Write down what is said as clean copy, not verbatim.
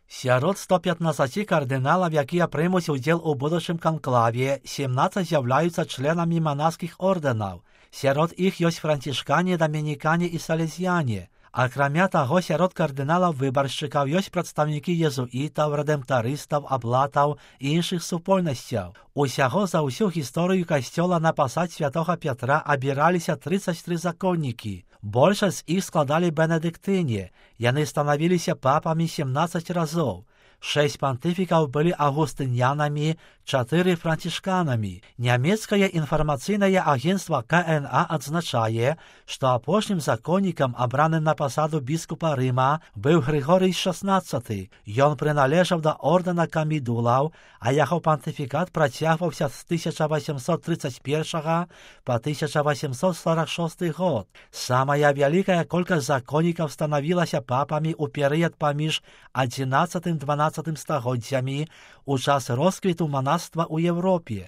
Сярод 115 кардыналаў, якія прымуць удзел у будучым канклаве, 17 з'яўляюцца членамі манаскіх ордэнаў. Сярод іх ёсць францішкане, дамінікане і салезіяне. Акрамя таго, сярод кардыналаў-выбаршчыкаў ёсць прадстаўнікі езуітаў, рэдэмптарыстаў, аблатаў і іншых супольнасцяў. Усяго за ўсю гісторыю касцёла на пасад святога Пятра абіраліся 33 законнікі. Большасць з іх складалі бенедыктыне. Яны станавіліся папамі 17 разоў. 6 пантыфікаў былі агустынянамі, 4 францішканамі. Нямецкае інфармацыйнае агенцтва КНА адзначае, што апошнім законнікам, абраным на пасаду біскупа Рыма, быў Грыгорый XVI. Ён прыналежаў да ордэна камідулаў, а яго пантыфікат працягваўся з 1831 па 1846 год. Самая вялікая колькасць законнікаў станавілася папамі ў перыяд паміж 11-12 стагоддзямі, у час росквіту манаства ў Европе.